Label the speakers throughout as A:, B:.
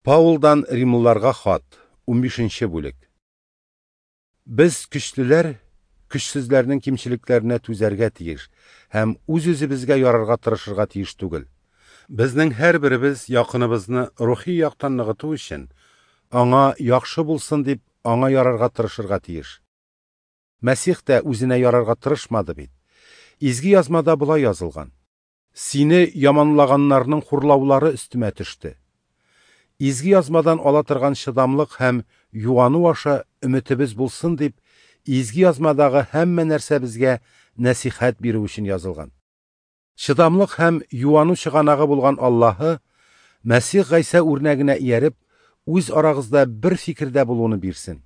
A: Паулдан римлыларга хат, 15 бүлек. Без көчлеләр көчсезләрнең кимчелекләренә түзәргә тиеш һәм үз-үзебезгә ярарга тырышырга тиеш түгел. Безнең һәрберебез якыныбызны рухи яктан ныгыту өчен, аңа яхшы булсын дип, аңа ярарга тырышырга тиеш. Мәсих тә үзенә ярарга тырышмады бит. Изге Язмада болай язылган: Сине яманлаганнарның хурлаулары өстемә төште. Изге Язмадан ала торган чыдамлык һәм юану аша өметебез булсын дип, Изге Язмадагы һәммә нәрсә безгә нәсыйхәт бирү өчен язылган. Чыдамлык һәм юану чыганагы булган Аллаһы Мәсих Гайсә үрнәгенә ияреп, үз арагызда бер фикердә булуны бирсен.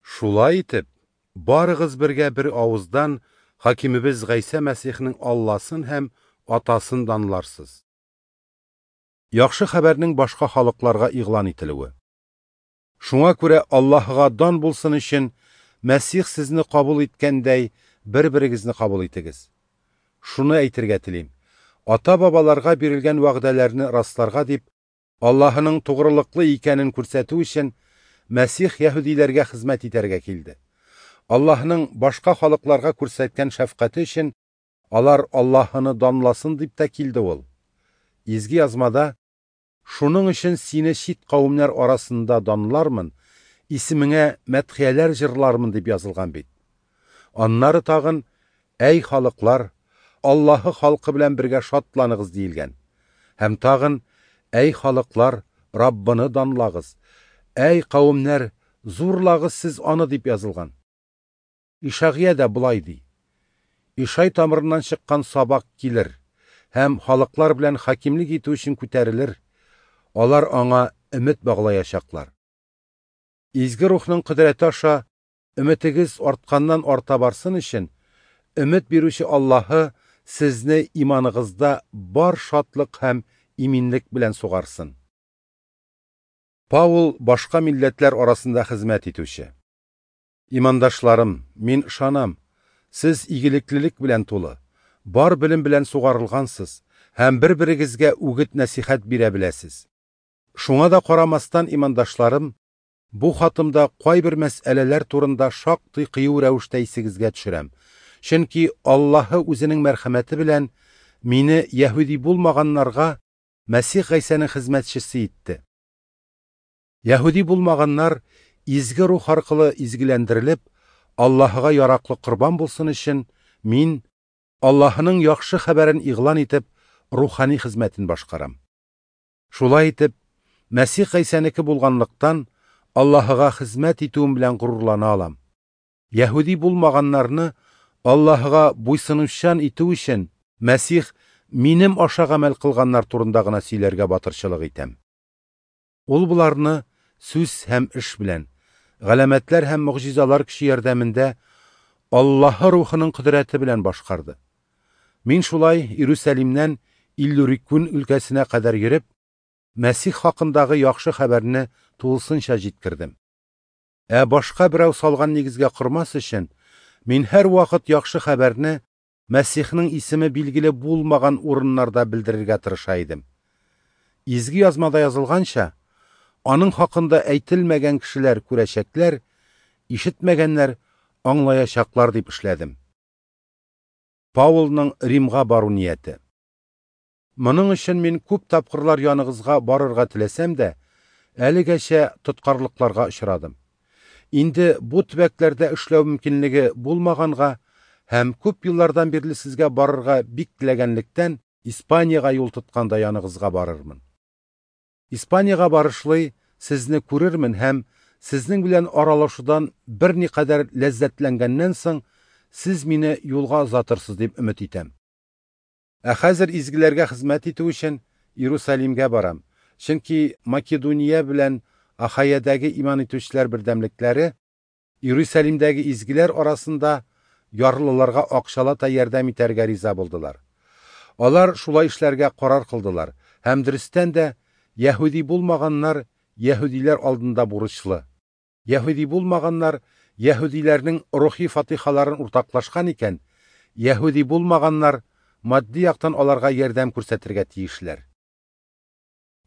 A: Шулай итеп, барыгыз бергә бер авыздан хакимебез Гайсә Мәсихнең Алласын һәм Атасын данларсыз. Яхшы хәбәрнең башка халыкларга игълан ителүе. Шуңа күрә Аллаһыга дан булсын өчен Мәсих сезне кабул иткәндәй, бер-берегезне кабул итегез. Шуны әйтергә телим: ата-бабаларга бирелгән вәгъдәләрне расларга дип, Аллаһының тугрылыклы икәнен күрсәтү өчен Мәсих яһүдиләргә хезмәт итәргә килде. Аллаһының башка халыкларга күрсәткән шәфкате өчен алар Аллаһыны данласын дип тә килде ул. Изге Язмада: Шуның өчен сине чит кавемнәр арасында данлармын, исемеңә мәдхияләр җырлармын дип язылган бит. Аннары тагын: Әй халыклар, Аллаһы халкы белән бергә шатланыгыз диелгән. Һәм тагын: Әй халыклар, Раббыны данлагыз, әй кавемнәр, зурлагыз сез аны дип язылган. Ишагия дә болай ди: Ишай тамырыннан чыккан сабак килер һәм халыклар белән хакимлек итү өчен күтәрелер. Алар аңа өмет баглаячаклар. Изге Рухның кодрәте аша өметегез артканнан арта барсын өчен, өмет бирүче Аллаһы сезне иманыгызда бар шатлык һәм иминлек белән сугарсын. Паул башка милләтләр арасында хезмәт итүче. Имандашларым, мин ышанам, сез игелеклелек белән тулы, бар белем белән сугарылгансыз һәм бер-берегезгә үгет нәсихәт бирә беләсез. Шуңа да карамастан, имандашларым, бу хатымда кайбер мәсьәләләр турында шактый кыю рәвештә исегезгә төшерәм. Чөнки Аллаһы үзенең мәрхәмәте белән мине яһүди булмаганнарга Мәсих Гайсәнең хезмәтчесе итте. Яһүди булмаганнар изге рух аркылы изгеләндерелеп, Аллаһыга яраклы корбан булсын өчен, мин Аллаһының яхшы хәбәрен игълан итеп, рухани хезмәтен башкарам. Шулай итеп, Мәсих Гайсәнеке булганлыктан, Аллаһыга хезмәт итүем белән горурлана алам. Яһүди булмаганнарны Аллаһыга буйсынучан итү өчен Мәсих минем аша гамәл кылганнар турында гына сөйләргә батырчылык итәм. Ул боларны сүз һәм эш белән, галәмәтләр һәм могҗизалар көче ярдәмендә Аллаһы рухының кодрәте белән башкарды. Мин шулай Иерусалимнән Иллюрикун өлкәсенә кадәр йөреп, Мәсих хакындагы яхшы хәбәрне тулысынча җиткердем. Ә башка берәү салган нигезгә кормас өчен, мин һәрвакыт яхшы хәбәрне Мәсихнең исеме билгеле булмаган урыннарда белдерергә тырыша идем. Изге Язмада язылганча, аның хакында әйтелмәгән кешеләр күрәчәкләр, ишетмәгәннәр аңлаячаклар дип эшләдем. Паулның Римга бару нияте. Моның өчен мин күп тапкырлар яныгызга барырга теләсәм дә, әлегәчә тоткарлыкларга очрадым. Инде бу төбәкләрдә эшләү мөмкинлеге булмаганга һәм күп еллардан бирле сезгә барырга бик теләгәнлектән, Испаниягә юл тотканда яныгызга барырмын. Испаниягә барышлый сезне күрермен һәм сезнең белән аралашудан берникадәр ләззәтләнгәннән соң, сез мине юлга озатырсыз дип өмет итәм. Ә хәзер изгеләргә хезмәт итү өчен Иерусалимгә барам, чөнки Македония белән Ахайядәге иман итүчеләр бердәмлекләре Иерусалимдәге изгеләр арасында ярлыларга акчалата ярдәм итәргә риза булдылар. Алар шулай эшләргә карар кылдылар һәм дөрестән дә яһүди булмаганнар яһүдиләр алдында бурычлы. Яһүди булмаганнар яһүдиләрнең рухи фатихаларын уртаклашкан икән, яһүди булмаганнар матди яктан аларга ярдәм күрсәтергә тиешләр.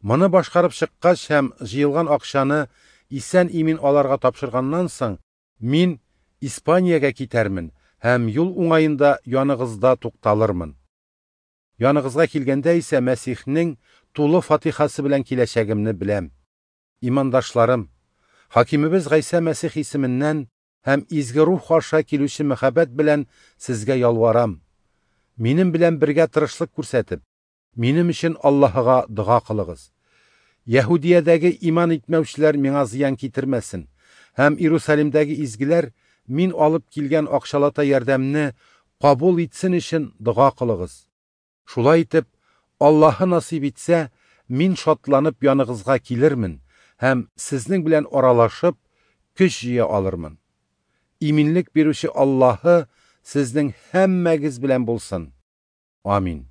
A: Моны башкарып чыккач һәм җыелган акчаны исән-имин аларга тапшырганнан соң, мин Испаниягә китәрмен һәм юл уңаенда яныгызда тукталырмын. Яныгызга килгәндә исә Мәсихнең тулы фатихасы белән киләчәгемне беләм. Имандашларым, Хакимебез Гайсә Мәсих исеменнән һәм Изге Рух аша килүче мәхәббәт белән сезгә ялварам: минем белән бергә тырышлык күрсәтеп, минем өчен Аллаһыга дога кылыгыз. Яһүдиядәге иман итмәүчеләр миңа зыян китермәсен һәм Иерусалимдәге изгеләр мин алып килгән акчалата ярдәмне кабул итсен өчен дога кылыгыз. Шулай итеп, Аллаһы насыйп итсә, мин шатланып яныгызга килермен һәм сезнең белән аралашып, көч җыя алырмын. Иминлек бирүче Аллаһы сезнең һәммәгез белән булсын. Амин.